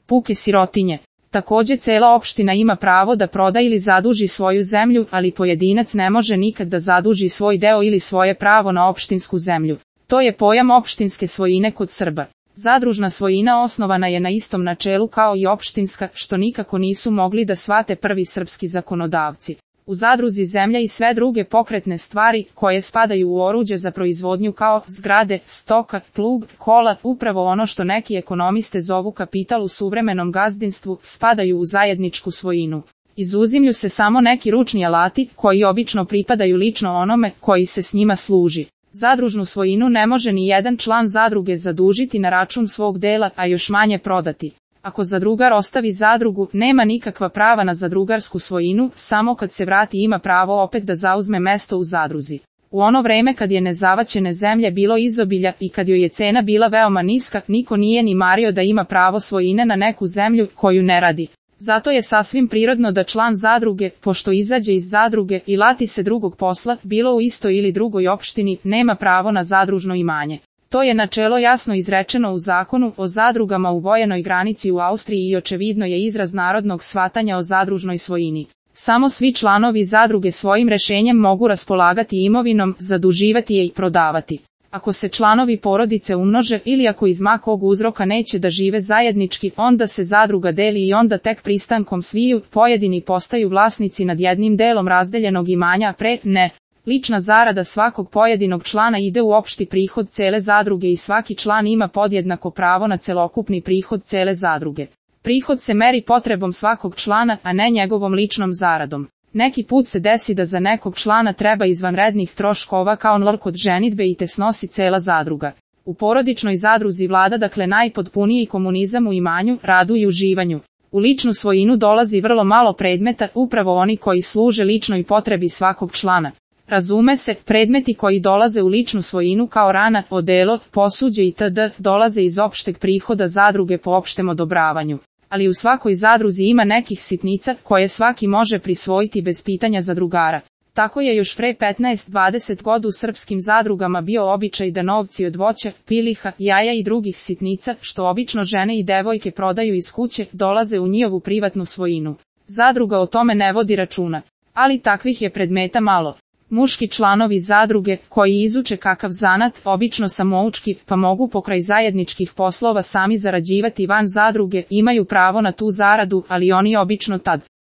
puke sirotinje. Takođe cela opština ima pravo da proda ili zaduži svoju zemlju, ali pojedinac ne može nikad da zaduži svoj deo ili svoje pravo na opštinsku zemlju. To je pojam opštinske svojine kod Srba. Zadružna svojina osnovana je na istom načelu kao i opštinska, što nikako nisu mogli da shvate prvi srpski zakonodavci. U zadruzi zemlja i sve druge pokretne stvari, koje spadaju u oruđe za proizvodnju kao zgrade, stoka, plug, kola, upravo ono što neki ekonomiste zovu kapital u suvremenom gazdinstvu, spadaju u zajedničku svojinu. Izuzimlju se samo neki ručni alati, koji obično pripadaju lično onome koji se s njima služi. Zadružnu svojinu ne može ni jedan član zadruge zadužiti na račun svog dela, a još manje prodati. Ako zadrugar ostavi zadrugu, nema nikakva prava na zadrugarsku svojinu, samo kad se vrati ima pravo opet da zauzme mesto u zadruzi. U ono vreme kad je nezavaćene zemlje bilo izobilja i kad joj je cena bila veoma niska, niko nije ni mario da ima pravo svojine na neku zemlju koju ne radi. Zato je sasvim prirodno da član zadruge, pošto izađe iz zadruge i lati se drugog posla, bilo u istoj ili drugoj opštini, nema pravo na zadružno imanje. To je načelo jasno izrečeno u zakonu o zadrugama u vojenoj granici u Austriji i očevidno je izraz narodnog shvatanja o zadružnoj svojini. Samo svi članovi zadruge svojim rešenjem mogu raspolagati imovinom, zaduživati je i prodavati. Ako se članovi porodice umnože ili ako iz ma kog uzroka neće da žive zajednički, onda se zadruga deli i onda tek pristankom sviju pojedini postaju vlasnici nad jednim delom razdeljenog imanja, ne. Lična zarada svakog pojedinog člana ide u opšti prihod cele zadruge i svaki član ima podjednako pravo na celokupni prihod cele zadruge. Prihod se meri potrebom svakog člana, a ne njegovom ličnom zaradom. Neki put se desi da za nekog člana treba izvanrednih troškova kao npr. kod ženidbe i te snosi cela zadruga. U porodičnoj zadruzi vlada dakle najpotpuniji komunizam u imanju, radu i uživanju. U ličnu svojinu dolazi vrlo malo predmeta, upravo oni koji služe ličnoj potrebi svakog člana. Razume se, predmeti koji dolaze u ličnu svojinu kao rana, odelo, posuđe itd. Dolaze iz opšteg prihoda zadruge po opštem odobravanju. Ali u svakoj zadruzi ima nekih sitnica koje svaki može prisvojiti bez pitanja zadrugara. Tako je još pre 15-20 godina u srpskim zadrugama bio običaj da novci od voća, piliha, jaja i drugih sitnica, što obično žene i devojke prodaju iz kuće, dolaze u njihovu privatnu svojinu. Zadruga o tome ne vodi računa. Ali takvih je predmeta malo. Muški članovi zadruge, koji izuče kakav zanat, obično samoučki, pa mogu pokraj zajedničkih poslova sami zarađivati van zadruge, imaju pravo na tu zaradu, ali oni obično tad